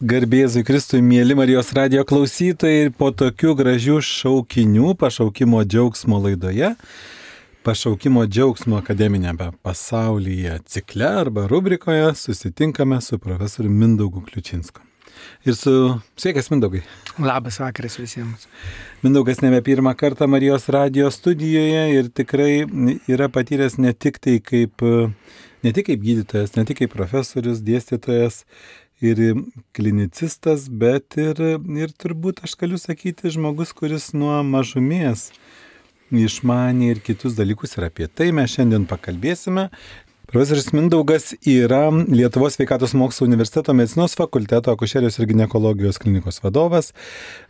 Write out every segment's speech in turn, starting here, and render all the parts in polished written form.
Garbėzui Kristui, mėly Marijos radijo klausytojai, po tokių gražių šaukinių pašaukimo džiaugsmo laidoje, pašaukimo džiaugsmo akademinėme pasaulyje cikle arba rubrikoje susitinkame su profesoriu Mindaugu Kliučinsku. Ir sveikas Mindaugai. Labas vakaras visiems. Mindaugas nebe pirmą kartą Marijos radijo studijoje ir tikrai yra patyręs ne tik kaip gydytojas, ne tik kaip profesorius, dėstytojas ir klinicistas, bet ir turbūt aš galiu sakyti žmogus, kuris nuo mažumės išmanė ir kitus dalykus, ir apie tai mes šiandien pakalbėsime. Profesorius Mindaugas yra Lietuvos sveikatos mokslų universiteto medicinos fakulteto akušerijos ir ginekologijos klinikos vadovas,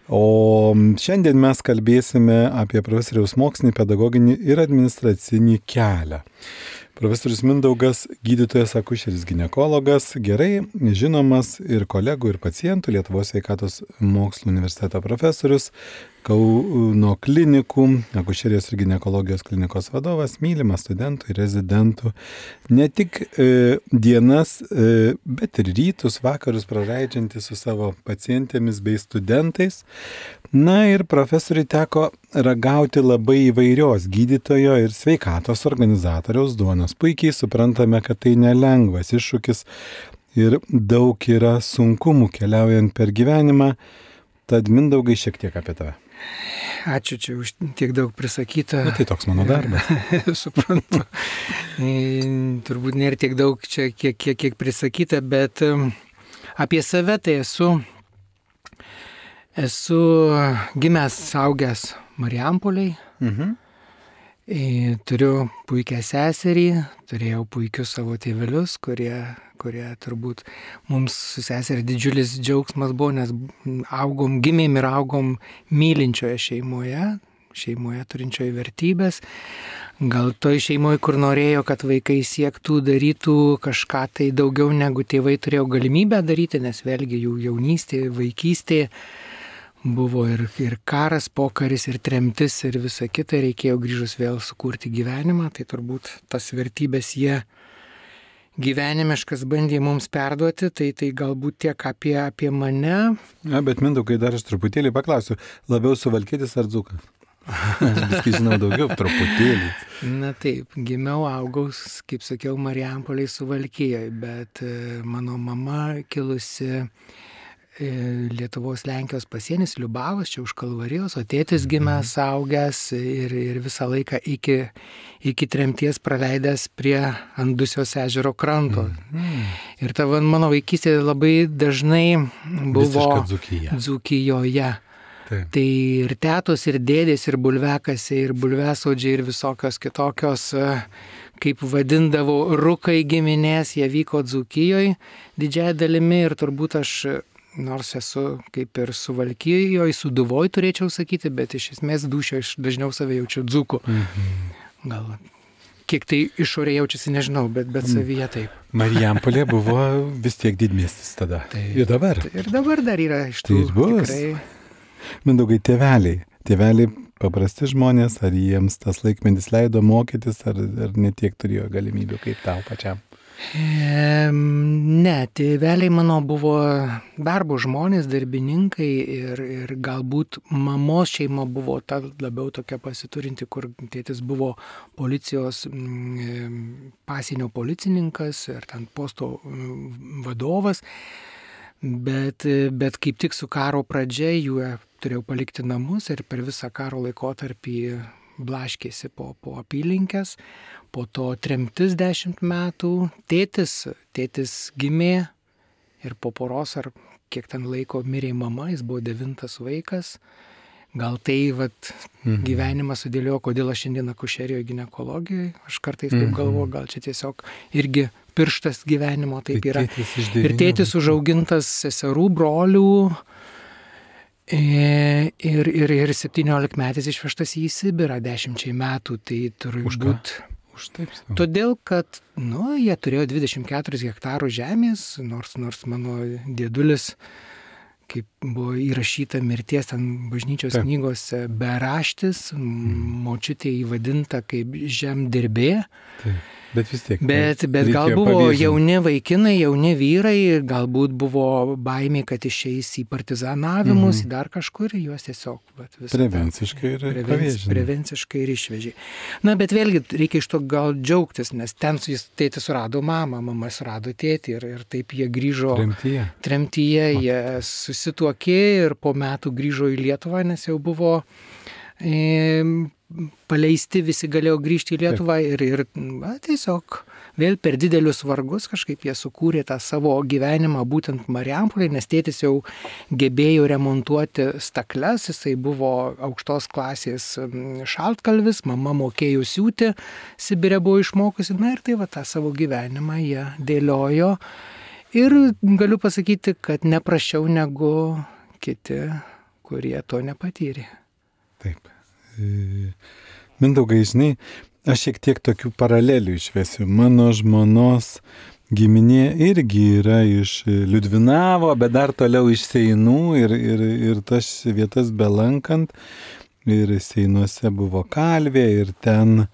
o šiandien mes kalbėsime apie profesoriaus mokslinį, pedagoginį ir administracinį kelią. Profesorius Mindaugas, gydytojas akušeris ginekologas, gerai žinomas ir kolegų, ir pacientų, Lietuvos sveikatos mokslų universiteto profesorius, Kauno klinikų, akušerijos ir ginekologijos klinikos vadovas, mylimas studentų ir rezidentų. Ne tik dienas, bet ir rytus, vakarus praleidžiantis su savo pacientėmis bei studentais. Na ir profesoriui teko ragauti labai įvairios gydytojo ir sveikatos organizatoriaus duonos. Puikiai suprantame, kad tai nelengvas iššūkis ir daug yra sunkumų keliaujant per gyvenimą. Tad Mindaugai šiek tiek apie tave. Ačiū čia už tiek daug prisakyta. Tai toks mano darbas. Suprantu. Turbūt nėra tiek daug čia, kiek prisakyta, bet apie save tai esu gimęs, augęs Marijampolėj. Turiu puikią seserį, turėjau puikius savo tėvelius, kurie turbūt mums su seserį didžiulis džiaugsmas buvo, nes gimėm ir augom mylinčioje šeimoje turinčioje vertybės. Gal toj šeimoje, kur norėjo, kad vaikai siektų, darytų kažką tai daugiau negu tėvai turėjo galimybę daryti, nes vėlgi jų jaunystė, vaikystė buvo ir karas, pokaris, ir tremtis, ir visa kita, reikėjo grįžus vėl sukurti gyvenimą, tai turbūt tas vertybės jie gyvenimiškas bandė mums perduoti, tai galbūt tiek apie mane. Ja, bet Mindaugai, dar aš truputėlį paklausiu, labiau suvalkietis ar dzūkas? Aš viskai žinau daugiau, truputėlį. Na taip, gimiau, augau, kaip sakiau, Marijampolėj Suvalkijoje, bet mano mama kilusi Lietuvos Lenkijos pasienis, Liubavos, čia už Kalvarijos, o tėtis gimęs, augęs ir visą laiką iki tremties praleidęs prie Andusios ežero kranto. Ir ta mano vaikystė labai dažnai buvo Dzūkijoje. Taip. Tai ir tetos, ir dėdės, ir bulvekasė, ir bulvesodžiai, ir visokios kitokios, kaip vadindavo, rukai giminės, jie vyko Dzūkijoje didžiąją dalimi ir turbūt aš, nors esu kaip ir Suvalkijoje, Sūduvoj turėčiau sakyti, bet iš esmės dūšio aš dažniau save jaučiu dzūku. Gal kiek tai išorėje jaučiasi, nežinau, bet savyje taip. Marijampolė buvo vis tiek didmiestis tada. Ir dabar. Ir dabar dar yra iš tų tikrai. Mindaugai, tėveliai paprasti žmonės, ar jiems tas laikmetis leido mokytis, ar netiek turėjo galimybių kaip tau pačiam? Ne, tėveliai mano buvo darbo žmonės, darbininkai ir galbūt mamos šeima buvo ta labiau tokia pasiturinti, kur tėtis buvo policijos pasienio policininkas ir ten posto vadovas, bet kaip tik su karo pradžia jų turėjau palikti namus ir per visą karo laikotarpį blaškėsi po apylinkės, po to tremtis 10 metų, tėtis gimė ir po poros ar kiek ten laiko mirė mama, jis buvo 9 vaikas. Gal tai gyvenimas sudėliojo, kodėl aš šiandien akušerijoje ginekologijoje, aš kartais taip galvoju, gal čia tiesiog irgi pirštas gyvenimo taip yra. Ir tėtis užaugintas seserų, brolių, ir 17 metais išvežtas į Sibirą 10 metų, tai turbūt todėl, kad jie turėjo 24 hektarų žemės, nors mano dėdulis, kaip buvo įrašyta mirties ten bažnyčios knygose, beraštis, močiutė įvadinta kaip žemdirbė. Bet vis tiek. Bet gal buvo jauni vaikinai, jauni vyrai, galbūt buvo baimė, kad išeis į partizanavimus, į dar kažkur, juos tiesiog prevenciškai ir išvežė. Na, bet vėlgi reikia iš to gal džiaugtis, nes ten tėtis surado mamą, mama surado tėtį ir taip jie grįžo tremtyje, jie susituokė ir po metų grįžo į Lietuvą, nes jau buvo paleisti, visi galėjo grįžti į Lietuvą ir tiesiog vėl per didelius vargus kažkaip jie sukūrė tą savo gyvenimą būtent Marijampolėje, nes tėtis jau gebėjo remontuoti stakles, jisai buvo aukštos klasės šaltkalvis, mama mokėjo siūti, Sibire buvo išmokusi, na ir tai tą savo gyvenimą jie dėliojo ir galiu pasakyti, kad neprasčiau negu kiti, kurie to nepatyrė. Taip. Mindaugai, žinai, aš šiek tiek tokių paralelių išvesiu. Mano žmonos giminė irgi yra iš Liudvinavo, bet dar toliau iš Seinų ir tas vietas belankant. Ir Seinuose buvo kalvė ir ten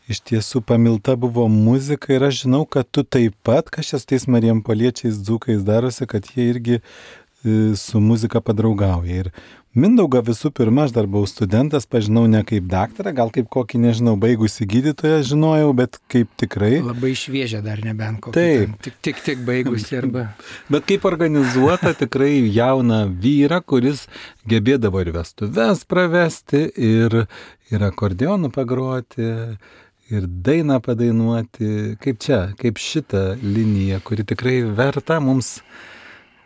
iš tiesų pamilta buvo muzika ir aš žinau, kad tu taip pat, kažkas tais marijampoliečiais dzūkais darosi, kad jie irgi su muzika padraugauja. Ir Mindaugą visų pirma, aš dar buvau studentas, pažinau ne kaip daktarą, gal kaip kokį, nežinau, baigusi gydytoją žinojau, bet kaip tikrai. Labai šviežia dar nebent kokį. Taip. Tik baigusi arba. Bet kaip organizuota tikrai jauną vyrą, kuris gebėdavo ir vestuves pravesti, ir akordeonų pagroti, ir dainą padainuoti. Kaip šita linija, kuri tikrai verta mums.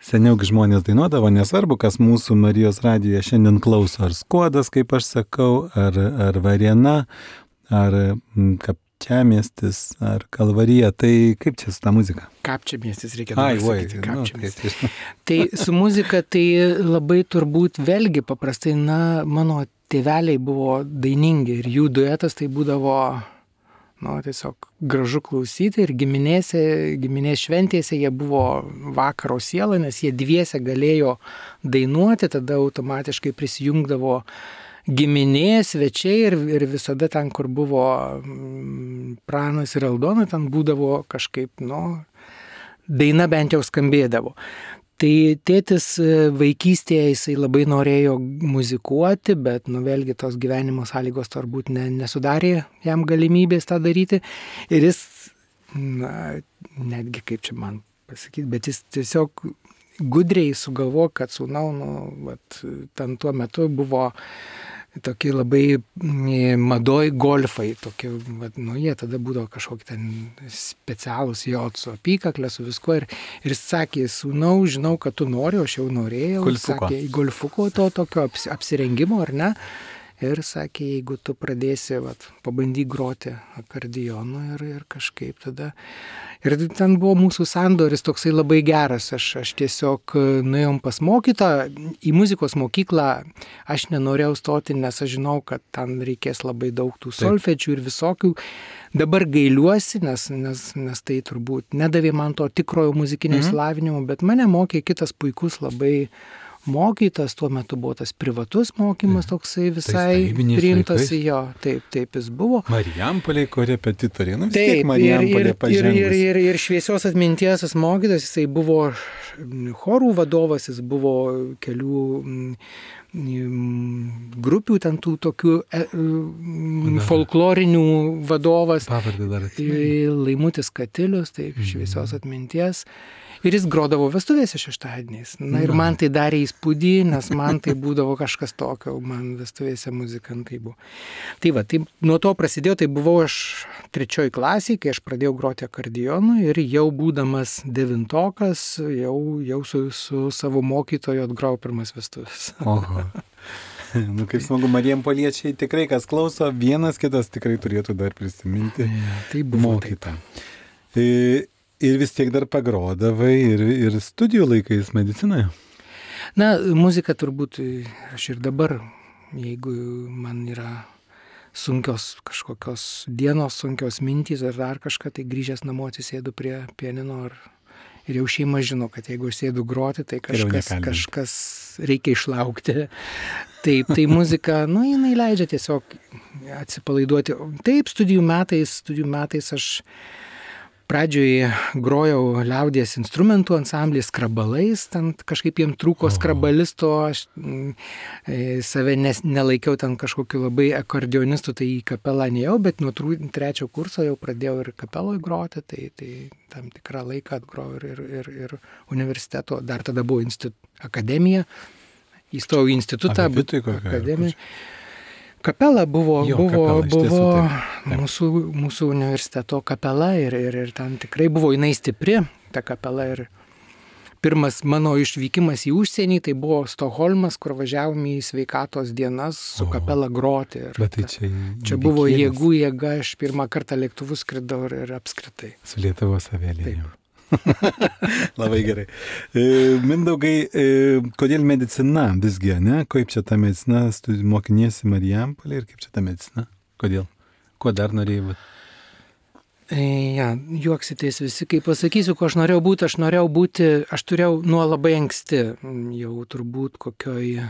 Seniau žmonės dainuodavo, nesvarbu, kas mūsų Marijos radijoje šiandien klauso, ar Skuodas, kaip aš sakau, ar Varėna, ar Kapčiamiestis, ar Kalvarija. Tai kaip čia su ta muzika? Kapčiamiestis reikia pasakyti. Kapčiamiestis. Tai su muzika tai labai turbūt vėlgi paprastai, mano tėveliai buvo dainingi ir jų duetas tai būdavo tiesiog gražu klausyti ir giminės šventėse jie buvo vakaro siela, nes jie dviese galėjo dainuoti, tada automatiškai prisijungdavo giminės, svečiai ir visada ten, kur buvo Pranas ir Aldona, ten būdavo kažkaip, daina bent jau skambėdavo. Tai tėtis vaikystėje jisai labai norėjo muzikuoti, bet vėlgi tos gyvenimo sąlygos turbūt nesudarė jam galimybės tą daryti. Ir jis, netgi kaip čia man pasakyti, bet jis tiesiog gudriai sugalvojo, kad sūnau, ten tuo metu buvo tokie labai madoj golfai, tokie, jie tada būdavo kažkokie ten specialūs su apykaklė, su viskuo. Ir jis sakė, sūnau, žinau, kad tu nori, aš jau norėjau. Sakė, golfuko to tokio apsirengimo, ar ne? Ir sakė, jeigu tu pradėsi, pabandyk groti akordeonu ir kažkaip tada. Ir ten buvo mūsų sandoris toksai labai geras. Aš tiesiog nuėjom pas mokytoją, į muzikos mokyklą aš nenorėjau stoti, nes aš žinau, kad ten reikės labai daug tų solfedžių ir visokių. Dabar gailiuosi, nes tai turbūt nedavė man to tikrojo muzikinio išsilavinimo, bet mane mokė kitas puikus labai mokytas, tuo metu buvo tas privatus mokymas toksai visai priimtas į jo. Taip jis buvo. Marijampolėje korepetitoriai, vis tiek Marijampolė pažengus. Ir šviesios atminties tas mokytas, jisai buvo chorų vadovas, jis buvo kelių grupių, ten tų tokių folklorinių vadovas. Pavardė dar atsimenu. Laimutis Katilius, taip, šviesios atminties. Ir jis grodavo vestuvėse šeštadieniais. Ir man tai darė įspūdį, nes man tai būdavo kažkas tokio, man vestuvėse muzikantai buvo. Tai nuo to prasidėjo, tai buvau aš 3 klasėje, kai aš pradėjau groti akordeonu ir jau būdamas 9-okas, jau su savo mokytoju atgrojau pirmas vestuvės. Oho. Kaip smagu, marijampoliečiai tikrai, kas klauso, vienas kitas tikrai turėtų dar prisiminti. Tai buvo mokytą. Ir vis tiek dar pagrodavai ir studijų laikais medicinoje? Muzika turbūt aš ir dabar, jeigu man yra sunkios kažkokios dienos, sunkios mintys ar dar kažką, tai grįžęs namo atsisėdu prie pianino ir jau šeima žino, kad jeigu aš sėdu groti, tai kažkas reikia išlaukti. Taip, tai muzika, jinai leidžia tiesiog atsipalaiduoti. Taip, studijų metais aš pradžioje grojau liaudies instrumentų ansamblį skrabalais, ten kažkaip jiem trūko skrabalisto, aš save nelaikiau ten kažkokiu labai akordeonistu, tai į kapelą neėjau, bet nuo 3 kurso jau pradėjau ir kapeloj groti, tai tam tikrą laiką atgrojau ir universiteto, dar tada buvo akademija, įstojau į institutą, akademiją. Kapela buvo mūsų universiteto kapela ir ten tikrai buvo jinai stipri, ta kapela. Ir pirmas mano išvykimas į užsienį, tai buvo Stokholmas, kur važiavome į sveikatos dienas su kapela groti. Ir bet tai čia buvo jėga, aš pirmą kartą lėktuvu skridau ir apskritai. Su Lietuvos avialinijom. Labai gerai. Mindaugai, kodėl medicina visgi, ne? Kaip čia ta medicina, mokiniesi Marijampolėje ir kaip čia ta medicina? Kodėl? Ko dar norėjai būti? Juoksitės visi, kai pasakysiu, ko aš norėjau būti, aš turėjau nuo labai anksti, jau turbūt kokioj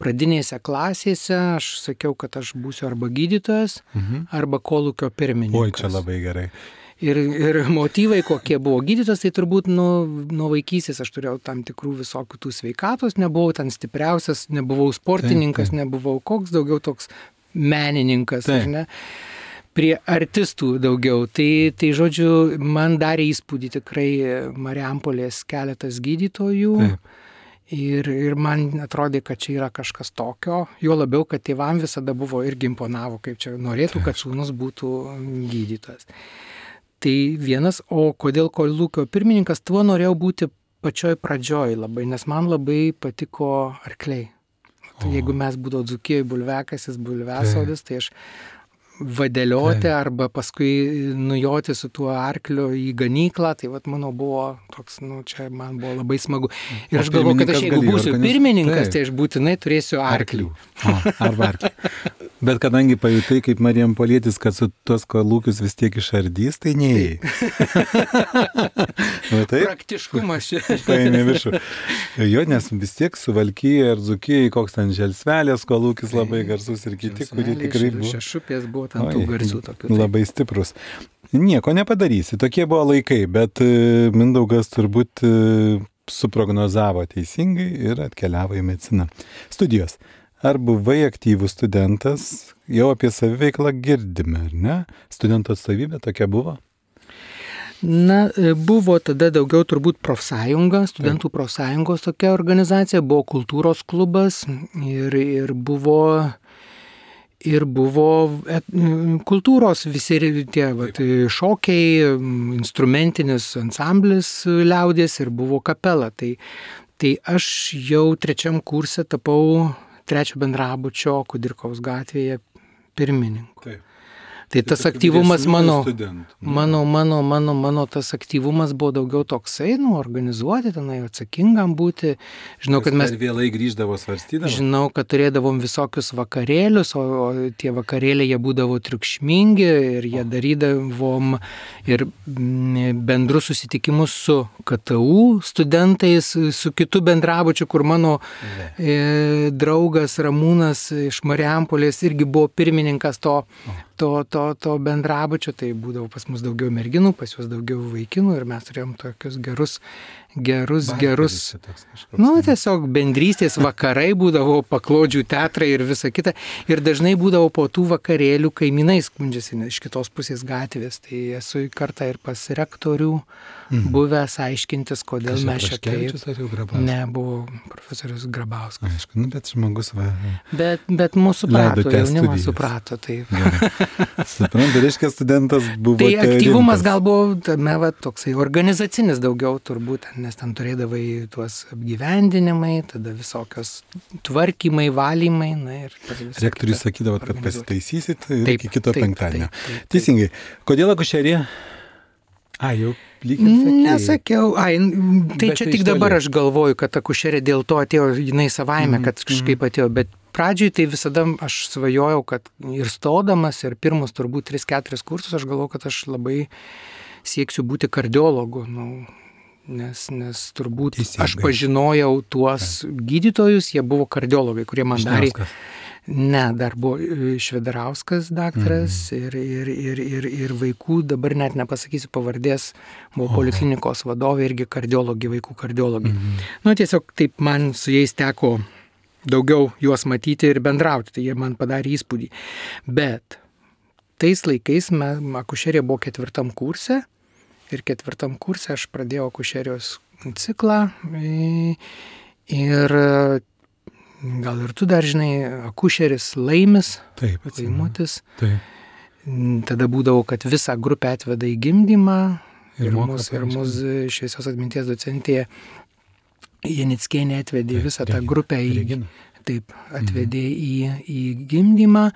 pradinėse klasėse, aš sakiau, kad aš būsiu arba gydytojas, arba kolūkio pirmininkas. Oi, čia labai gerai. Ir motyvai, kokie buvo gydytas, tai turbūt nuo vaikystės aš turėjau tam tikrų visokių tų sveikatos, nebuvau ten stipriausias, nebuvau sportininkas, nebuvau koks daugiau toks menininkas, ar ne, prie artistų daugiau. Tai žodžiu, man darė įspūdį tikrai Marijampolės keletas gydytojų. Ir man atrodė, kad čia yra kažkas tokio, jo labiau, kad tėvam visada buvo irgi imponavo, kaip čia norėtų, kad sūnus būtų gydytojas. Tai vienas, o kodėl kolūkio pirmininkas, tuo norėjau būti pačioj pradžioj labai, nes man labai patiko arkliai. Tai jeigu mes būdavo Dzūkijoje bulviakasis, bulviasodis, tai aš vadelioti arba paskui nujoti su tuo arkliu į ganyklą, tai mano buvo toks, čia man buvo labai smagu. Ir aš galvoju, kad aš jeigu būsiu pirmininkas, tai aš būtinai turėsiu arklių. Arba arklių. Bet kadangi pajutai kaip Marijampolietis, kad su tuos kolūkius vis tiek išardys, tai neėjai. Praktiškumas čia. Paėmė viršų. Jo, nes vis tiek Suvalkyje ar Dzūkijoje, koks ten Želsvelės kolūkis labai garsus ir kiti, kurie tikrai buvo. Šešupės buvo ten tų garsių tokių. Labai stiprus. Nieko nepadarysi, tokie buvo laikai, bet Mindaugas turbūt suprognozavo teisingai ir atkeliavo į mediciną. Studijos. Ar buvai aktyvus studentas, jau apie saviveiklą girdime, ar ne? Studentų atstovybė tokia buvo? Buvo tada daugiau turbūt profsąjunga, studentų profsąjungos tokia organizacija, buvo kultūros klubas ir buvo kultūros visi tie šokiai, instrumentinis ansamblis liaudies ir buvo kapela. Tai aš jau 3 kurse tapau 3 bendrabučio Kudirkos gatvėje pirmininku. Taip. Tai tas aktyvumas mano tas aktyvumas buvo daugiau toksai, organizuoti, tenai atsakingam būti. Žinau, kad mes vėlai grįždavo svarstydavo. Žinau, kad turėdavom visokius vakarėlius, o tie vakarėliai jie būdavo triukšmingi ir jie darydavom ir bendrus susitikimus su KTU studentais, su kitu bendrabučiu, kur mano draugas Ramūnas iš Marijampolės irgi buvo pirmininkas to bendrabučio, tai būdavo pas mus daugiau merginų, pas juos daugiau vaikinų ir mes turėjom tokius gerus, tiesiog bendrystės vakarai būdavo, paklodžių teatrai ir visa kita. Ir dažnai būdavo po tų vakarėlių kaimynai skundžiasi iš kitos pusės gatvės. Tai esu kartą ir pas rektorių buvęs aiškintis, kodėl mes čia taip. Ne, buvo profesorius Grabauskas. Aišku, bet žmogus Bet mūsų suprato, jaunimas suprato. Suprantu, reiškia studentas buvo. Tai aktyvumas gal buvo tame toksai organizacinis daugiau turbūt, nes ten turėdavai tuos apgyvendinimai, tada visokios tvarkymai, valymai. Rektorius sakydavo, kad pasitaisysit iki kito penktadienio. Teisingai. Kodėl akušerija? Jau lyg ir sakėjai. Nesakiau. Tai čia tik dabar aš galvoju, kad akušerė dėl to atėjo, jinai savaime, kad kažkaip atėjo, bet pradžioj tai visada aš svajojau, kad ir stodamas, ir pirmus turbūt 3-4 kursus, aš galvojau, kad aš labai sieksiu būti kardiologu. nes turbūt Teisingai. aš pažinojau tuos gydytojus, jie buvo kardiologai, kurie man darė. Ne, dar buvo Švedarauskas daktaras ir vaikų, dabar net nepasakysiu pavardės, buvo poliklinikos vadovė, irgi kardiologai, vaikų kardiologai. Nu, tiesiog taip man su jais teko daugiau juos matyti ir bendrauti, tai jie man padarė įspūdį. Bet tais laikais akušerija buvo 4 kurse ir 4 kurse aš pradėjau akušerijos ciklą ir gal ir tu dar žinai, akušeris Laimis, Laimutis. Taip. Tada būdavo, kad visą grupę atveda į gimdymą ir mus šviesios atminties docentė Janickienė atvedė visą tą grupę atvedė į gimdymą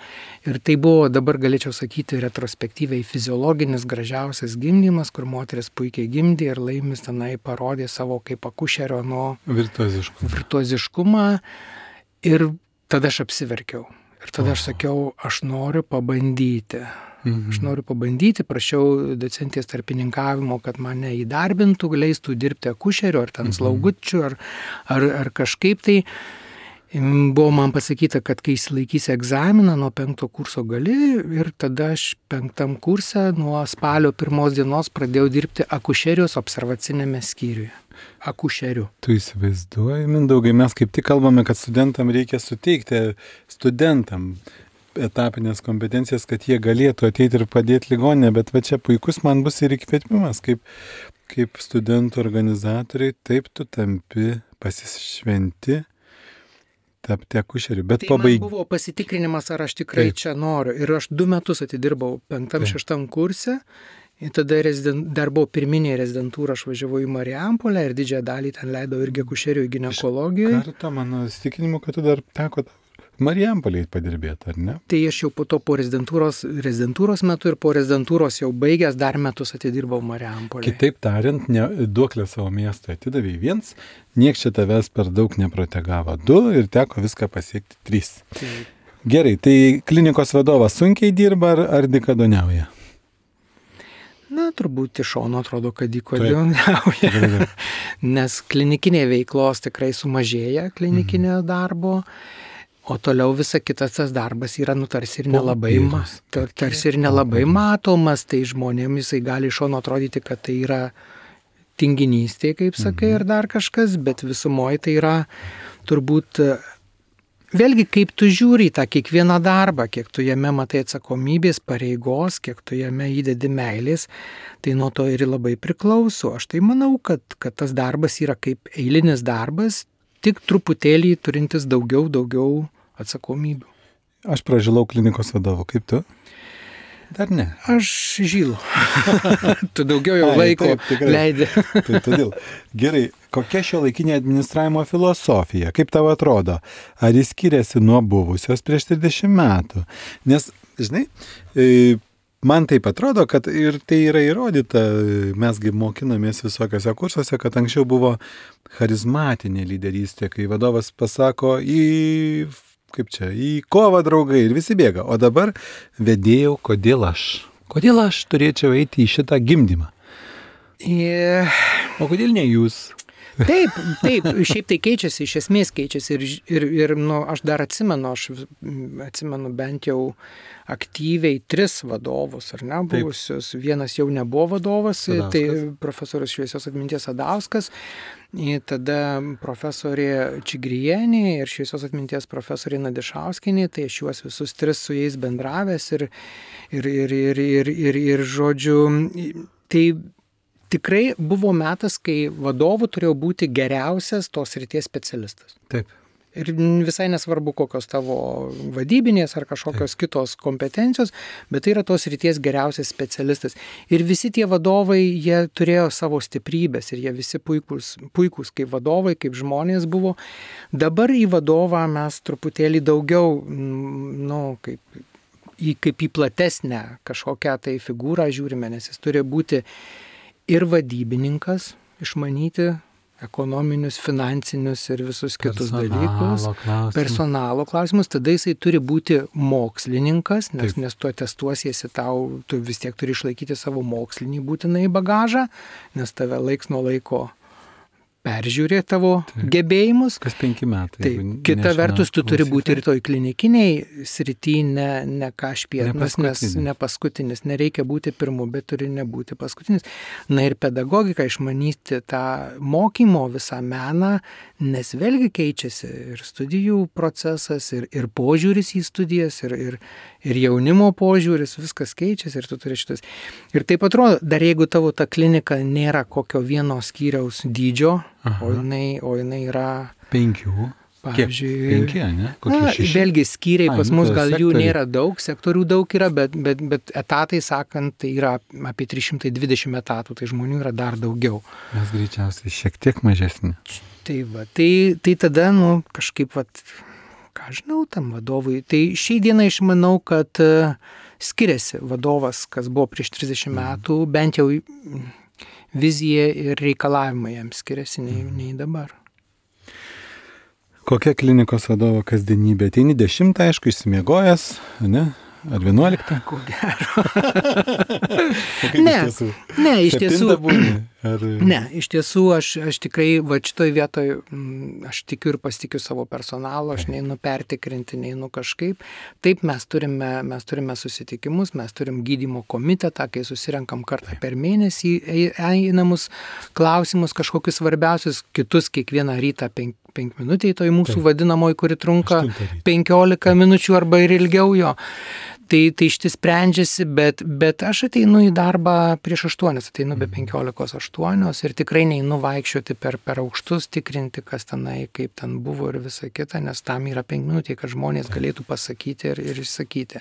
ir tai buvo, dabar galėčiau sakyti, retrospektyviai fiziologinis gražiausias gimdymas, kur moteris puikiai gimdė ir Laimis tenai parodė savo kaip akušerio virtuoziškumą. Ir tada aš apsiverkiau. Ir tada aš sakiau, aš noriu pabandyti. Aš noriu pabandyti, prašiau docentės tarpininkavimo, kad mane įdarbintų, leistų dirbti akušeriu, ar ten slaugučiu, ar kažkaip tai. Buvo man pasakyta, kad kai įsilaikysi egzaminą nuo 5 kurso gali ir tada aš 5 kurse nuo spalio 1 dienos pradėjau dirbti akušerijos observacinėme skyriuje. Akušeriu. Tu įsivaizduoji, Mindaugai, mes kaip tik kalbame, kad studentam reikia suteikti etapinės kompetencijas, kad jie galėtų ateiti ir padėti ligoninę, bet va čia puikus man bus ir įkvėpimas, kaip studentų organizatoriai, taip tu tampi pasišventi tapti akušeriu. Bet tai man buvo pasitikrinimas, ar aš tikrai čia noriu. Ir aš 2 metus atidirbau 5-6 kurse. Ir tada dar buvo pirminė rezidentūra, aš važiavau į Marijampolę ir didžiąją dalį ten leidau irgi akušerių į ginekologiją. Kartą mano įsitikinimu, kad tu dar teko Marijampolėje padirbėti, ar ne? Tai aš jau po to po rezidentūros metu ir po rezidentūros jau baigęs dar metus atidirbau Marijampolėje. Kitaip tariant, duoklę savo miestą atidavė 1, nieks čia tavęs per daug neprotegavo 2 ir teko viską pasiekti 3. Taip. Gerai, tai klinikos vadovas sunkiai dirba ar dykaduoniauja? Na, turbūt iš šono atrodo, kad dykaduoniauja. Nes klinikinė veiklos tikrai sumažėja, klinikinio darbo. O toliau visa kitas tas darbas yra tarsi ir nelabai matomas, tai žmonėms jisai gali iš šono atrodyti, kad tai yra tinginystė, kaip sakai, ir dar kažkas, bet visumoje tai yra turbūt, vėlgi kaip tu žiūri į tą kiekvieną darbą, kiek tu jame matai atsakomybės, pareigos, kiek tu jame įdedi meilės, tai nuo to ir labai priklauso. Aš tai manau, kad tas darbas yra kaip eilinis darbas, tik truputėlį turintis daugiau atsakomybių. Aš pražilau klinikos vadovu, kaip tu? Dar ne. Aš žylu. Tu daugiau jau laiko leidi. Tai todėl. Gerai, kokia šiuolaikinė administravimo filosofija? Kaip tau atrodo? Ar jis skiriasi nuo buvusios prieš 30 metų? Nes, žinai, man taip atrodo, kad ir tai yra įrodyta, mesgi mokinamės visokiose kursuose, kad anksčiau buvo charizmatinė lyderystė, kai vadovas pasako į kovą draugai ir visi bėga. O dabar vedėjau, kodėl aš turėčiau eiti į šitą gimdymą. O kodėl ne jūs? Taip, šiaip tai keičiasi, iš esmės keičiasi ir aš dar atsimenu bent jau aktyviai 3 vadovus, ar ne, buvusius. Vienas jau nebuvo vadovas, tai profesorius šviesios atminties Sadauskas, tada profesorė Čigrienė ir šviesios atminties profesorė Nadišauskienė, tai aš juos visus 3 su jais bendravęs ir žodžiu, tai tikrai buvo metas, kai vadovų turėjo būti geriausias tos srities specialistas. Taip. Ir visai nesvarbu, kokios tavo vadybinės ar kažkokios kitos kompetencijos, bet tai yra tos srities geriausias specialistas. Ir visi tie vadovai, jie turėjo savo stiprybės ir jie visi puikūs kaip vadovai, kaip žmonės buvo. Dabar į vadovą mes truputėlį daugiau, kaip į platesnę kažkokią tai figūrą žiūrime, nes jis turi būti ir vadybininkas, išmanyti ekonominius, finansinius ir visus kitus dalykus. Personalo klausimus. Tada jisai turi būti mokslininkas, nes tu atestuosiesi tu vis tiek turi išlaikyti savo mokslinį būtinai bagažą, nes tave laiks nuo laiko peržiūrė tavo gebėjimus. Kas 5 metai. Taip, kita vertus, tu turi būti ir toj klinikiniai srity, ne kažpienas, nes ne paskutinis, nereikia būti pirmu, bet turi nebūti paskutinis. Na ir pedagogika, išmanyti tą mokymo visą meną, nes vėlgi keičiasi ir studijų procesas, ir požiūris į studijas, ir jaunimo požiūris, viskas keičiasi ir tu turi šitas. Ir taip atrodo, dar jeigu tavo ta klinika nėra kokio vieno skyriaus dydžio, o jinai yra 5. Pavyzdžiui, 5, ne? Kokie 6? Vėlgi skyriai pas mus gal jų sektoriai. nėra daug, sektorių daug yra, bet etatai sakant, tai yra apie 320 etatų, tai žmonių yra dar daugiau. Mes greičiausiai šiek tiek mažesni. Tai tada, kažkaip, ką žinau, tam vadovui. Tai šiai dienai aš manau, kad skiriasi vadovas, kas buvo prieš 30 metų, bent jau vizija ir reikalavimai jam skiriasi nei dabar. Kokia klinikos vadovo kasdienybė? Ateini 10, aišku, išsimiegojęs, ne? Ar 11? Ko gero. Ne, iš tiesų. Ne, iš tiesų aš tikrai šitoj vietoj, aš tikiu ir pasitikiu savo personalo, aš neinu pertikrinti, neinu kažkaip. Taip, mes turime susitikimus, mes turim gydymo komitetą, kai susirenkam kartą per mėnesį, einamus klausimus, kažkokius svarbiausius, kitus kiekvieną rytą 5 minutėj, toj mūsų vadinamoji, kuri trunka 15 minučių arba ir ilgiau jo. Tai ištis sprendžiasi, bet aš ateinu į darbą prieš 8, ateinu be 15:08 ir tikrai neinu vaikščioti per aukštus, tikrinti, kas tenai, kaip ten buvo ir visa kita, nes tam yra 5 minutės, kad žmonės galėtų pasakyti ir išsakyti.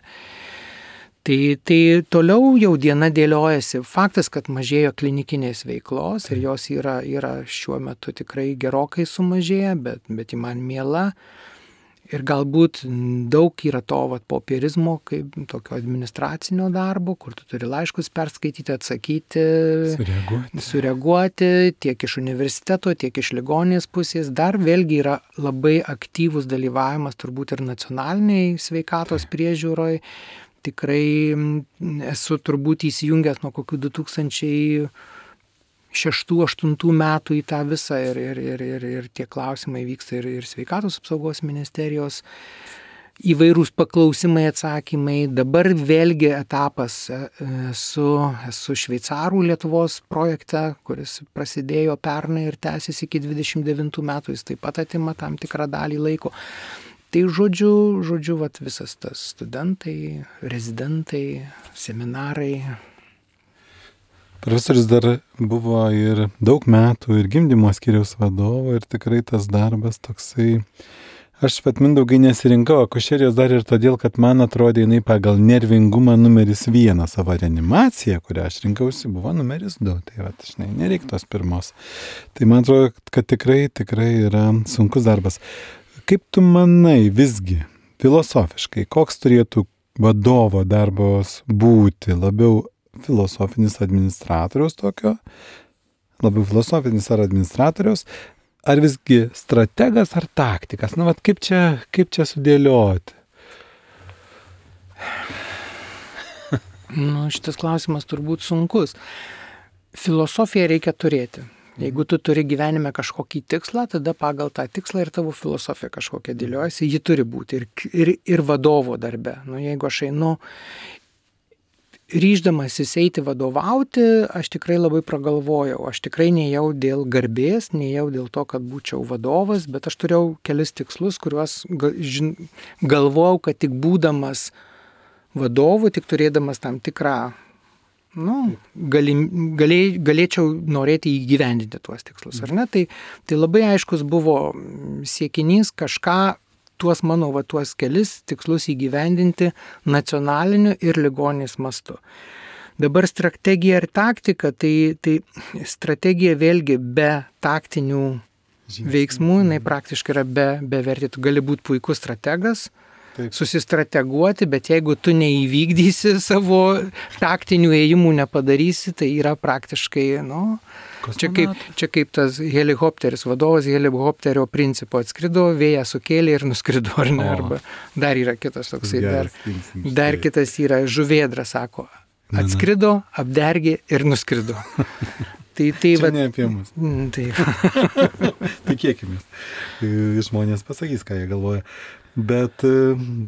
Tai toliau jau diena dėliojasi. Faktas, kad mažėjo klinikinės veiklos ir jos yra šiuo metu tikrai gerokai sumažėję, bet ji man miela. Ir galbūt daug yra to popierizmo, kaip tokio administracinio darbo, kur tu turi laiškus perskaityti, atsakyti, sureaguoti tiek iš universiteto, tiek iš ligoninės pusės. Dar vėlgi yra labai aktyvus dalyvavimas turbūt ir nacionaliniai sveikatos priežiūroje. Tikrai esu turbūt įsijungęs nuo kokių 2006-2008 metų į tą visą ir tie klausimai vyksta ir sveikatos apsaugos ministerijos įvairūs paklausimai, atsakymai. Dabar vėlgi etapas esu šveicarų Lietuvos projekte, kuris prasidėjo pernai ir tęsiasi iki 29 metų, jis taip pat atima tam tikrą dalį laiko. Tai žodžiu, visas tas studentai, rezidentai, seminarai. Profesorius dar buvo ir daug metų ir gimdymo skyriaus vadovo ir tikrai tas darbas toksai. Aš Mindaugai nesirinkau akušerijos dar ir todėl, kad man atrodė jinai pagal nervingumą numeris 1, savo reanimacija, kurią aš rinkausi, buvo numeris 2. Tai žinai, nereik tos pirmos. Tai man atrodo, kad tikrai yra sunkus darbas. Kaip tu manai visgi, filosofiškai, koks turėtų vadovo darbas būti? Labiau filosofinis administratoriaus tokio? Labiau filosofinis ar administratoriaus? Ar visgi strategas ar taktikas? Kaip čia sudėlioti? Šitas klausimas turbūt sunkus. Filosofiją reikia turėti. Jeigu tu turi gyvenime kažkokį tikslą, tada pagal tą tikslą ir tavo filosofija kažkokia dėliojasi, ji turi būti ir vadovo darbe. Jeigu aš einu ryždamasis eiti vadovauti, aš tikrai labai pragalvojau. Aš tikrai nejau dėl garbės, nejau dėl to, kad būčiau vadovas, bet aš turėjau kelis tikslus, kuriuos galvojau, kad tik būdamas vadovu, tik turėdamas tam tikrą galėčiau norėti įgyvendinti tuos tikslus, ar ne? Tai labai aiškus buvo siekinys kažką, tuos kelis tikslus įgyvendinti nacionaliniu ir ligoninės mastu. Dabar strategija ir taktika, tai strategija vėlgi be taktinių veiksmų, jinai praktiškai yra bevertė. Tu gali būti puikus strategas, susistrateguoti, bet jeigu tu neįvykdysi savo taktinių ėjimų, nepadarysi, tai yra praktiškai, čia kaip tas helikopteris, vadovas helikopterio principo atskrido, vėją sukėlė ir nuskrido, ar ne, arba dar yra kitas toksai, dar kitas yra žuvėdra, sako, atskrido, apdergė ir nuskrido. Tai Čia ne apie mus. Taip. Tikėkimės. Žmonės pasakys, ką jie galvoja. Bet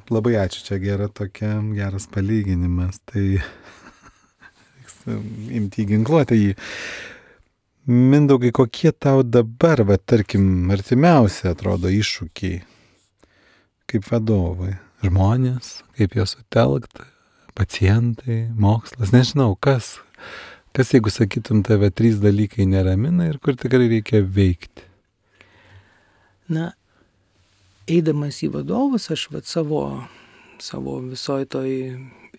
labai ačiū, čia geras palyginimas. Tai imti ginkluotę jį. Mindaugai, kokie tau dabar, tarkim, artimiausi atrodo iššūkiai kaip vadovai? Žmonės, kaip juos sutelkti, pacientai, mokslas, nežinau, kas jeigu sakytum, tave 3 dalykai neramina ir kur tikrai reikia veikti? Na, eidamas į vadovus, aš savo visoj toj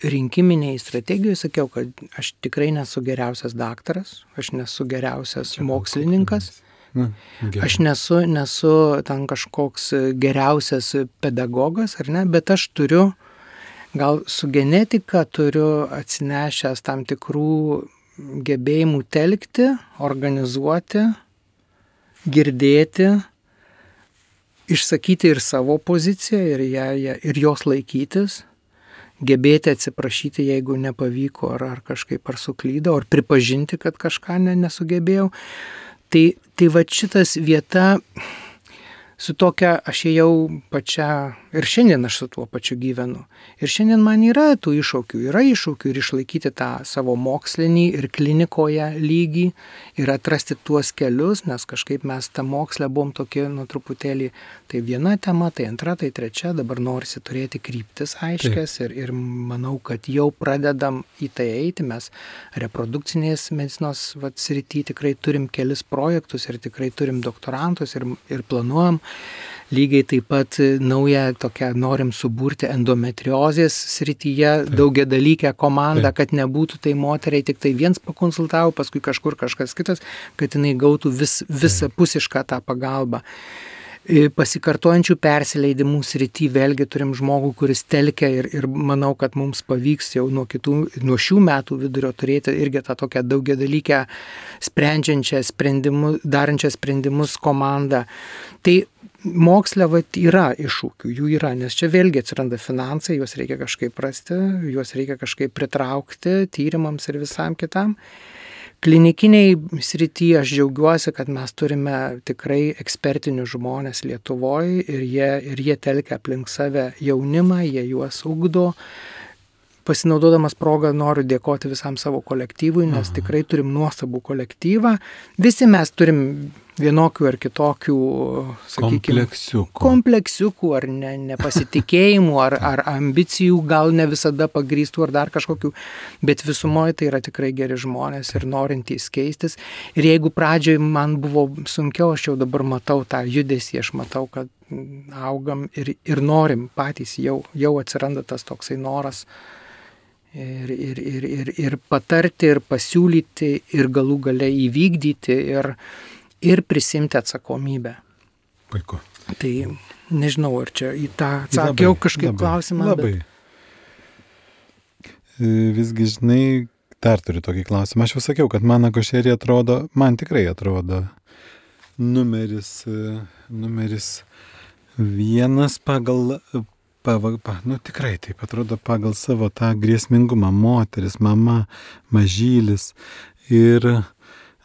rinkiminiai strategijoje sakiau, kad aš tikrai nesu geriausias daktaras, aš nesu geriausias mokslininkas, aš nesu ten kažkoks geriausias pedagogas, ar ne, bet aš turiu, gal su genetika turiu atsinešęs tam tikrų gebėjimų telkti, organizuoti, girdėti, išsakyti ir savo poziciją ir jos laikytis, gebėti atsiprašyti, jeigu nepavyko ar kažkaip ar suklydau, ar pripažinti, kad kažką nesugebėjau. Tai va šitas vieta su tokia, aš ėjau pačia, ir šiandien aš su tuo pačiu gyvenu. Ir šiandien man yra tų iššūkių ir išlaikyti tą savo mokslinį ir klinikoje lygį ir atrasti tuos kelius, nes kažkaip mes tą mokslę buvom tokie, truputėlį, tai viena tema, tai antra, tai trečia, dabar norisi turėti kryptis aiškias ir manau, kad jau pradedam į tai eiti, mes reprodukcinės medicinos srity tikrai turim kelis projektus ir tikrai turim doktorantus ir planuojam. Lygiai taip pat naują tokią norim suburti endometriozės srityje daugiadalykę komandą, kad nebūtų tai moteriai tik tai viens pakonsultavo, paskui kažkur kažkas kitas, kad jinai gautų visapusišką tą pagalbą. Pasikartojančių persileidimų srity vėlgi turim žmogų, kuris telkia ir manau, kad mums pavyks jau nuo šių metų vidurio turėti irgi tą tokią daugiadalykę darančią sprendimus komandą. Tai moksle yra iššūkių, jų yra, nes čia vėlgi atsiranda finansai, juos reikia kažkaip rasti, juos reikia kažkaip pritraukti tyrimams ir visam kitam. Klinikiniai srityje aš džiaugiuosi, kad mes turime tikrai ekspertinius žmonės Lietuvoje ir jie telkia aplink save jaunimą, jie juos ugdo. Pasinaudodamas progą noriu dėkoti visam savo kolektyvui, nes tikrai turim nuostabų kolektyvą. Visi mes turim vienokių ar kitokių, sakykime, kompleksiukų ar nepasitikėjimų, ar ambicijų, gal ne visada pagrįstų ar dar kažkokių, bet visumoje tai yra tikrai geri žmonės ir norintys keistis. Ir jeigu pradžioje man buvo sunkiau, aš jau dabar matau tą judesį, aš matau, kad augam ir norim patys, jau atsiranda tas toksai noras. Ir patarti, ir pasiūlyti, ir galų gale įvykdyti, ir prisimti atsakomybę. Puiku. Tai nežinau, ar čia į tą atsakiau kažkaip klausimą. Labai. Visgi, žinai, dar turiu tokį klausimą. Aš jau sakiau, kad man akušerija man tikrai atrodo numeris 1 pagal tikrai taip atrodo pagal savo tą grėsmingumą, moteris, mama, mažylis. Ir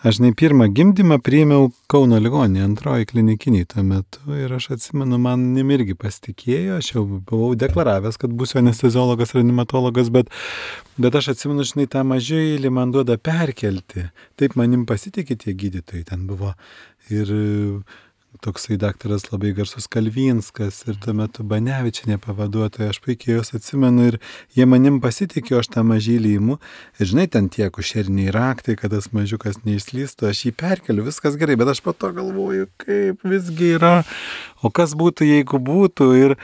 aš pirmą gimdymą priėmiau Kauno ligoninėje, 2 klinikiniai tuo metu. Ir aš atsimenu, manim irgi pasitikėjo, aš jau buvau deklaravęs, kad būsiu anesteziologas, reanimatologas, bet aš atsimenu, žinai, tą mažylį man duoda perkelti. Taip manim pasitikė tie gydytojai, ten buvo ir toksai daktaras labai garsus Kalvinskas ir tuo metu Banevičienė pavaduotoja, aš puikiai jos atsimenu ir jie manim pasitikė, aš tą mažylį imu ir žinai, ten tie akušeriniai raktai, kad tas mažiukas neišslystų, aš jį perkeliu, viskas gerai, bet aš po to galvoju, kaip visgi yra, o kas būtų, jeigu būtų ir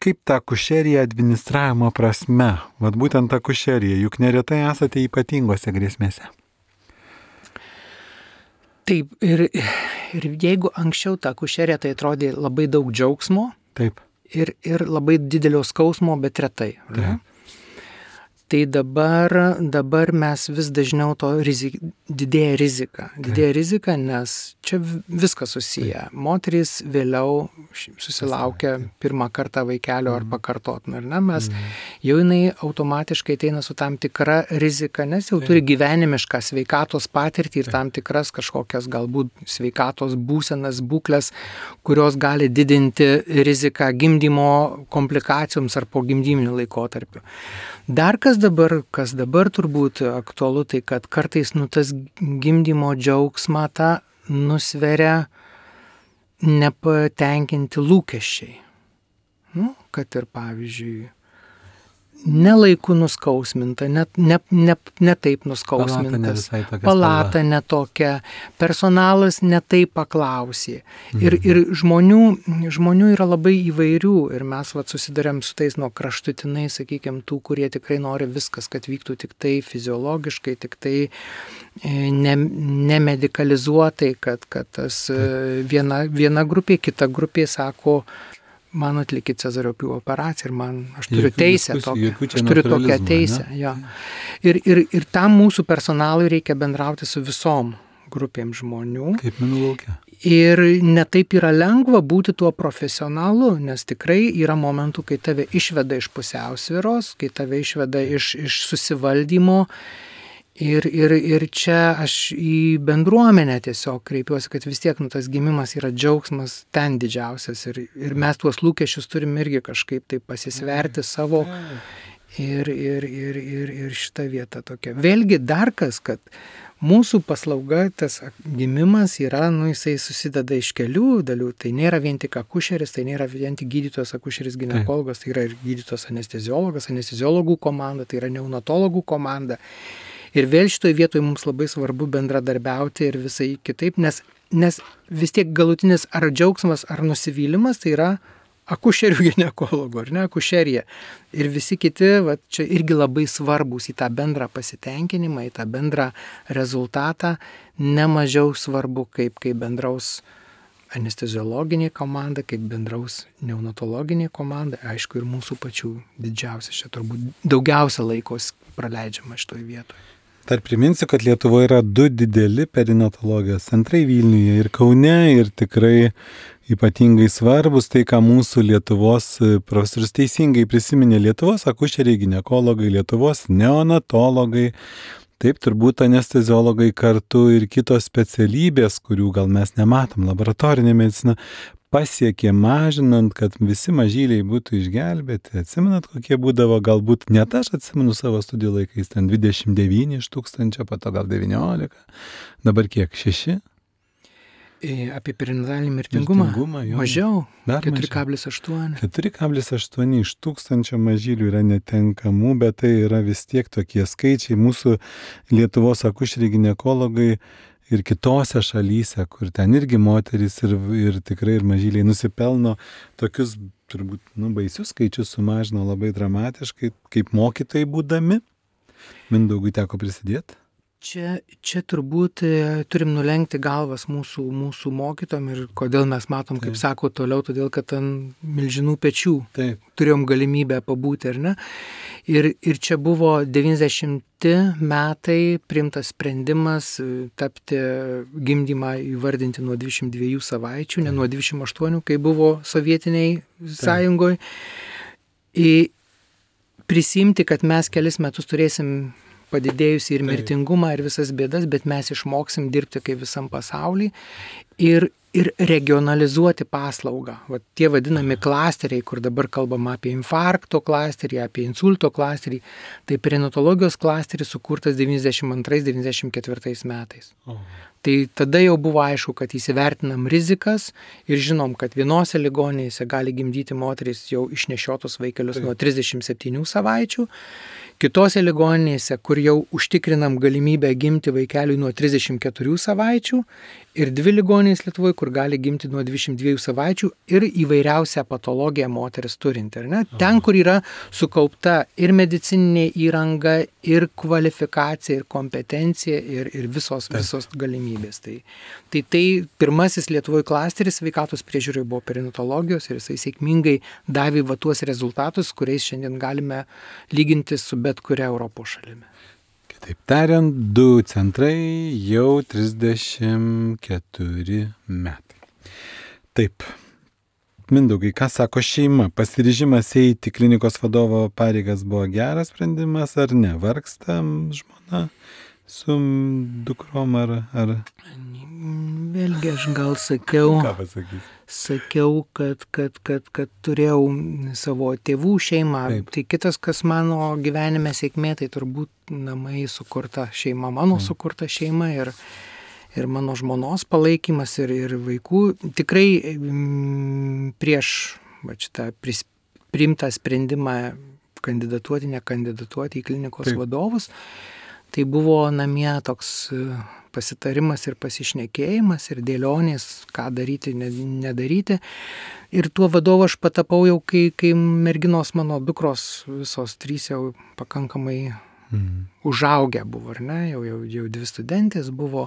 kaip ta akušerija administravimo prasme, vat būtent ta akušerija, juk neretai esate ypatingose grėsmėse. Taip, ir jeigu anksčiau ta akušerija tai atrodė labai daug džiaugsmo. Taip. Ir labai didelio skausmo, bet retai. Taip. Tai dabar mes vis dažniau to didėja rizika, nes čia viskas susiję. Moterys vėliau susilaukia pirmą kartą vaikelio ar pakartotinai, ar ne, mes jau jinai automatiškai ateina su tam tikra rizika, nes jau turi gyvenimišką sveikatos patirtį ir tam tikras kažkokias galbūt sveikatos būsenas, būklės, kurios gali didinti riziką gimdymo komplikacijoms ar po gimdyminių laikotarpių. Dar kas dabar turbūt aktualu, tai kad kartais tas gimdymo džiaugsmą tą nusveria nepatenkinti lūkesčiai. Kad ir pavyzdžiui, nelaiku nuskausminta, ne taip nuskausmintas, palata netokia, personalas ne taip paklausė. Ir žmonių yra labai įvairių ir mes susidarėm su tais nuo kraštutinai, sakykime, tų, kurie tikrai nori viskas, kad vyktų tik tai fiziologiškai, tik tai nemedikalizuotai, kad tas viena grupė, kita grupė sako, man atlikit Cezario pjūvio operaciją ir aš turiu teisę tokią, aš turiu tokią teisę. Jo. Ir tam mūsų personalui reikia bendrauti su visom grupėm žmonių. Kaip minų laukia. Ir netaip yra lengva būti tuo profesionalu, nes tikrai yra momentų, kai tave išveda iš pusiausvyros, kai tave išveda iš susivaldymo. Ir čia aš į bendruomenę tiesiog kreipiuosi, kad vis tiek tas gimimas yra džiaugsmas ten didžiausias ir mes tuos lūkesčius turim irgi kažkaip tai pasisverti savo ir šita vieta tokia. Vėlgi dar kas, kad mūsų paslauga, tas gimimas yra, jisai susideda iš kelių dalių, tai nėra vien tik akušeris, tai nėra vien tik gydytojas akušeris ginekologas, tai yra ir gydytojas anesteziologas, anesteziologų komanda, tai yra neonatologų komanda. Ir vėl šitoje vietoje mums labai svarbu bendradarbiauti ir visai kitaip, nes vis tiek galutinis ar džiaugsmas, ar nusivylimas, tai yra akušerių ginekologų, ar ne, akušerija. Ir visi kiti, čia irgi labai svarbus į tą bendrą pasitenkinimą, į tą bendrą rezultatą, nemažiau svarbu, kaip bendraus anesteziologinė komanda, kaip bendraus neonatologinė komanda, aišku, ir mūsų pačių didžiausia, čia turbūt daugiausia laikos praleidžiama šitoje vietoje. Dar priminsiu, kad Lietuvoje yra 2 dideli perinatologijos centrai Vilniuje ir Kaune ir tikrai ypatingai svarbus tai, ką mūsų Lietuvos profesorius teisingai prisiminė, Lietuvos akušeriai, ginekologai, Lietuvos neonatologai, taip turbūt anesteziologai kartu ir kitos specialybės, kurių gal mes nematom, laboratorinė medicina, pasiekė mažinant, kad visi mažyliai būtų išgelbėti. Atsimenat, kokie būdavo, galbūt net aš atsimenu savo studijų laikais, ten 29 iš 1000, po to gal 19, dabar kiek, 6? Apie perinatalį mirtingumą mažiau, 4,8. 4,8 iš 1000 mažylių yra netenkamų, bet tai yra vis tiek tokie skaičiai. Mūsų Lietuvos akušeriai ginekologai ir kitose šalyse, kur ten irgi moterys ir tikrai ir mažyliai nusipelno tokius turbūt baisius skaičius sumažino labai dramatiškai, kaip mokytojai būdami. Mindaugui teko prisidėti. Čia turbūt turim nulenkti galvas mūsų mokytojam ir kodėl mes matom, kaip sako toliau, todėl kad ant milžinų pečių turėjom galimybę pabūti, ar ne? Ir čia buvo 90 metai priimtas sprendimas tapti gimdymą įvardinti nuo 22 savaičių, ne nuo 28, kai buvo Sovietiniai sąjungoje. Prisimti, kad mes kelis metus turėsim padidėjusi ir mirtingumą ir visas bėdas, bet mes išmoksim dirbti kaip visam pasaulyje ir regionalizuoti paslaugą. Tie vadinami klasteriai, kur dabar kalbama apie infarkto klasterį, apie insulto klasterį, tai perinatologijos klasteris sukurtas 92-94 metais. Tai tada jau buvo aišku, kad įsivertinam rizikas ir žinom, kad vienose ligoninėse gali gimdyti moterys jau išnešiotus vaikelius nuo 37 savaičių, kitose ligoninėse, kur jau užtikrinam galimybę gimti vaikeliui nuo 34 savaičių ir 2 ligoninės Lietuvoje, kur gali gimti nuo 22 savaičių ir įvairiausią patologiją moteris turinti. Ten, kur yra sukaupta ir medicininė įranga, ir kvalifikacija, ir kompetencija, ir visos galimybės. Tai pirmasis Lietuvoje klasteris sveikatos priežiūroje buvo perinatologijos ir jisai sėkmingai davė tuos rezultatus, kuriais šiandien galime lyginti su bet kuria Europos šalimi. Kitaip tariant, 2 centrai jau 34 metai. Taip. Mindaugai, ką sako šeima? Pasiryžimas eiti klinikos vadovo pareigas buvo geras sprendimas ar ne? Vargsta žmona su dukrom ar... Vėlgi aš gal sakiau, Ką pasakysi? kad turėjau savo tėvų šeimą. Taip. Tai kitas, kas mano gyvenime sėkmė, tai turbūt namai sukurta šeima, mano sukurta šeima ir mano žmonos palaikymas ir vaikų. Tikrai prieš šitą priimtą sprendimą kandidatuoti, nekandidatuoti į klinikos Taip. vadovus, tai buvo namie toks pasitarimas ir pasišnekėjimas ir dėlionės, ką daryti, nedaryti. Ir tuo vadovu aš patapau jau, kai merginos mano dukros visos 3 jau pakankamai užaugę buvo, ar ne? Jau 2 studentės buvo,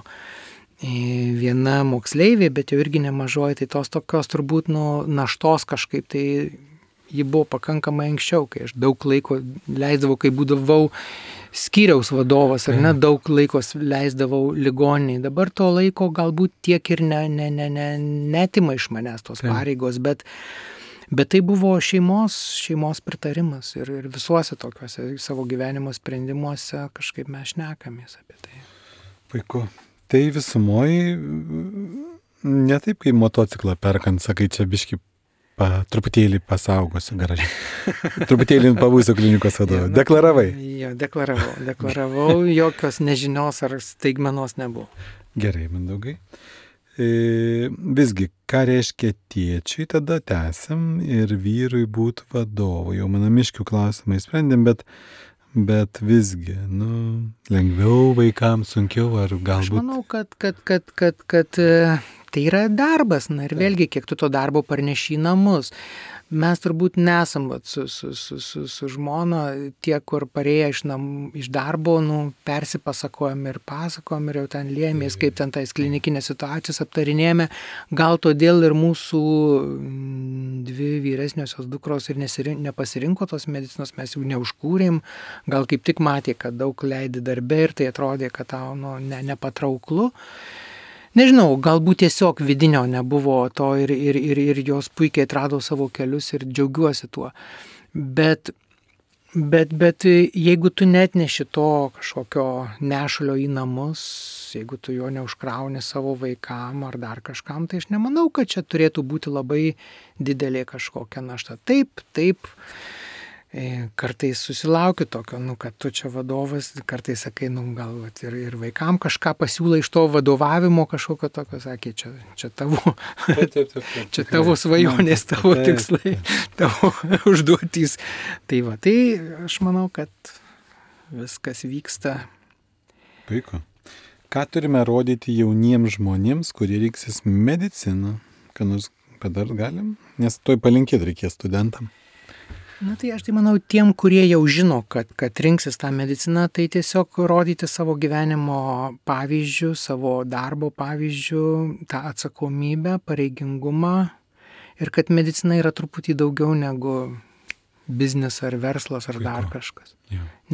viena moksleivė, bet jau irgi nemažoji, tai tos tokios turbūt naštos kažkaip tai ji buvo pakankamai anksčiau, kai aš daug laiko leisdavau, kai būdavau skyriaus vadovas, ar ne, daug laiko leisdavau ligoniniai. Dabar to laiko galbūt tiek ir netima iš manęs tos pareigos, bet tai buvo šeimos pritarimas ir visuose tokiuose savo gyvenimo sprendimuose kažkaip mes šnekamės apie tai. Puiku. Tai visumoji, ne taip kaip motociklą perkant, sakai, čia biški truputėlį pasaugosiu garaže. Truputėlį pabūsiu klinikos vadovu. Deklaravai? Jo, deklaravau, jokios nežinios ar staigmenos nebuvo. Gerai, Mindaugai. Visgi, ką reiškia tėčiui, tada tęsiam ir vyrui būtų vadovu. Jau manamiškių klausimai sprendėm, bet visgi, lengviau vaikams, sunkiau ar galbūt... Aš manau, kad tai yra darbas, ir vėlgi, kiek tu to darbo parneši į namus. Mes turbūt nesam su žmona tie, kur parėję iš darbo, persipasakojam ir pasakojam ir jau ten liemės, kaip ten tais klinikinės situacijas aptarinėjame. Gal todėl ir mūsų 2 vyresniosios dukros ir nepasirinko tos medicinos, mes jau neužkūrėm. Gal kaip tik matė, kad daug leidi darbe ir tai atrodė, kad tau nepatrauklu. Nežinau, galbūt tiesiog vidinio nebuvo to ir jos puikiai atrado savo kelius ir džiaugiuosi tuo. Bet jeigu tu netneši to kažkokio nešulio į namus, jeigu tu jo neužkrauni savo vaikam ar dar kažkam, tai aš nemanau, kad čia turėtų būti labai didelė kažkokia našta. Taip, kartais susilaukiu tokio, kad tu čia vadovas, kartais sakai, gal ir vaikam kažką pasiūlai iš to vadovavimo kažkokio tokio, sakė, čia tavo, čia tavo svajonės, tavo tikslai, tavo užduotys. Tai aš manau, kad viskas vyksta. Puiku. Ką turime rodyti jauniems žmonėms, kurie rinksis mediciną? Ką nors padar galim? Nes toj palinkėti reikės studentam. Tai aš manau, tiem, kurie jau žino, kad rinksis tą mediciną, tai tiesiog rodyti savo gyvenimo pavyzdžių, savo darbo pavyzdžių, tą atsakomybę, pareigingumą ir kad medicina yra truputį daugiau negu biznis ar verslas ar dar kažkas.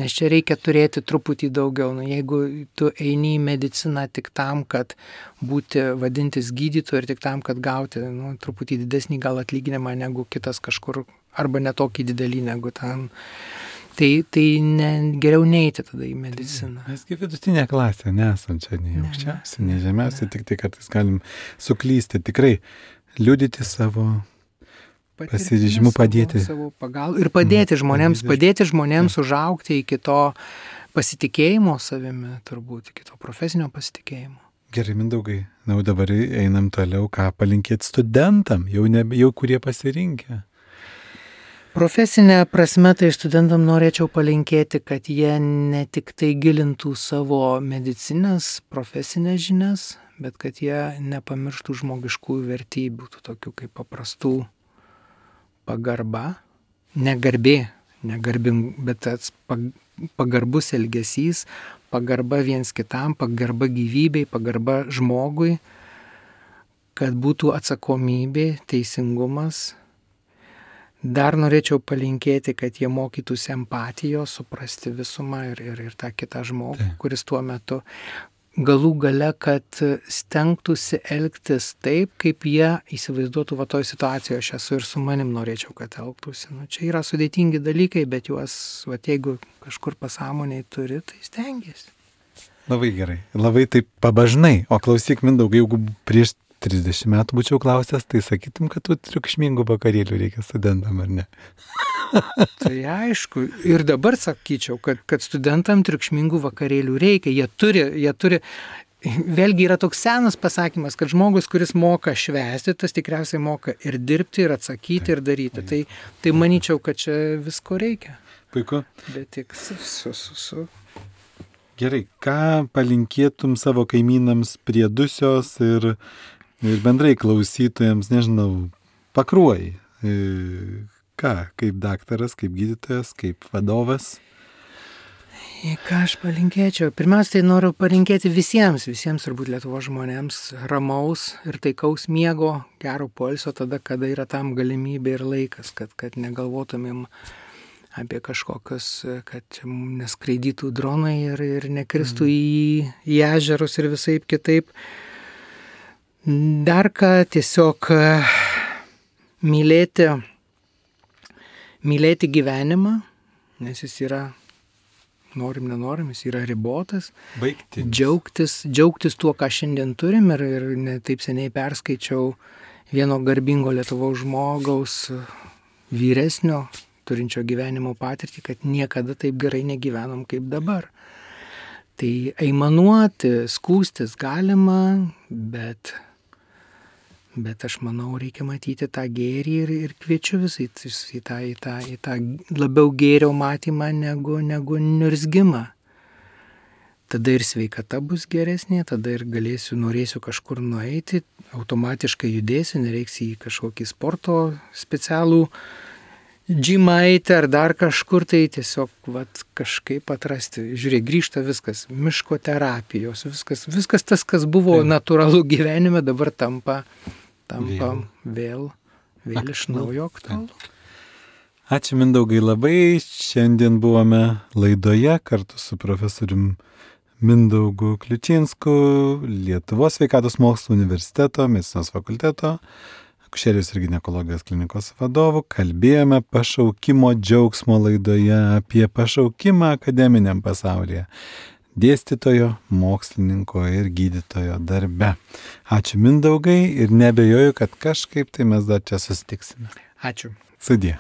Nes čia reikia turėti truputį daugiau. Jeigu tu eini į mediciną tik tam, kad būti vadintis gydytoju ir tik tam, kad gauti truputį didesnį gal atlyginimą negu kitas kažkur arba netokį didelį negu ten, tai geriau neiti tada į mediciną. Mes kaip vidutinė klasė, nesam čia nei aukščiausi, nei žemiausi, tik tai kartais galim suklysti, tikrai liudyti savo pasiryžimu padėti. Ir padėti žmonėms užaugti iki to pasitikėjimo savimi, turbūt, iki to profesinio pasitikėjimo. Gerai, Mindaugai, dabar einam toliau, ką palinkėti studentam, jau kurie pasirinkę. Profesinė prasme, tai studentam norėčiau palinkėti, kad jie ne tik tai gilintų savo medicinės, profesinės žinias, bet kad jie nepamirštų žmogiškųjų vertybių, tokių kaip paprastų pagarba, bet tas pagarbus elgesys, pagarba viens kitam, pagarba gyvybei, pagarba žmogui, kad būtų atsakomybė, teisingumas. Dar norėčiau palinkėti, kad jie mokytųsi empatijos, suprasti visumą ir tą kitą žmogų, kuris tuo metu galų gale, kad stengtųsi elgtis taip, kaip jie įsivaizduotų va toj situacijoje, aš esu ir su manim norėčiau, kad elgtųsi. Nu, čia yra sudėtingi dalykai, bet juos, va, jeigu kažkur pasąmoniai turi, tai stengiasi. Labai gerai, labai taip pabažnai. O klausyk, Mindaugai, jeigu prieš 30 metų būčiau klausęs, tai sakytum, kad tų triukšmingų vakarėlių reikia studentam, ar ne? Tai aišku. Ir dabar sakyčiau, kad studentam triukšmingų vakarėlių reikia. Jie turi. Vėlgi yra toks senas pasakymas, kad žmogus, kuris moka švęsti, tas tikriausiai moka ir dirbti, ir atsakyti, ir daryti. Tai manyčiau, kad čia visko reikia. Puiku. Bet tik su. Gerai, ką palinkėtum savo kaimynams prie Dusios ir bendrai klausytojams, nežinau, Pakruojai? Ką, kaip daktaras, kaip gydytojas, kaip vadovas? Ką aš palinkėčiau? Pirmiausia, tai noriu palinkėti visiems turbūt Lietuvos žmonėms ramaus ir taikaus miego, gero poilsio tada, kada yra tam galimybė ir laikas, kad negalvotumėm apie kažkokius, kad neskraidytų dronai ir nekristų į ežerus ir visaip kitaip. Dar ką tiesiog mylėti gyvenimą, nes jis yra, norim, nenorim, jis yra ribotas. Baigtinis. Džiaugtis tuo, ką šiandien turim ir ne taip seniai perskaičiau vieno garbingo Lietuvos žmogaus vyresnio, turinčio gyvenimo patirtį, kad niekada taip gerai negyvenom kaip dabar. Tai aimanuoti, skūstis galima, bet aš manau, reikia matyti tą gėrį ir kviečiu visai į tą labiau gėrio matymą negu niurzgimą. Tada ir sveikata bus geresnė, tada ir norėsiu kažkur nueiti, automatiškai judėsiu, nereiks į kažkokį sporto specialų džimą eiti ar dar kažkur, tai tiesiog kažkaip atrasti. Žiūrėk, grįžta viskas, miško terapijos, viskas tas, kas buvo natūralu gyvenime, dabar tampa vėl iš naujo aktualu. Ačiū Mindaugai labai. Šiandien buvome laidoje kartu su profesorium Mindaugu Kliučinsku, Lietuvos sveikatos mokslų universiteto, medicinos fakulteto, akušerijos ir ginekologijos klinikos vadovu. Kalbėjome pašaukimo džiaugsmo laidoje apie pašaukimą akademiniam pasaulyje, dėstytojo, mokslininko ir gydytojo darbe. Ačiū Mindaugai ir nebejoju, kad kažkaip tai mes dar čia susitiksime. Ačiū. Sudie.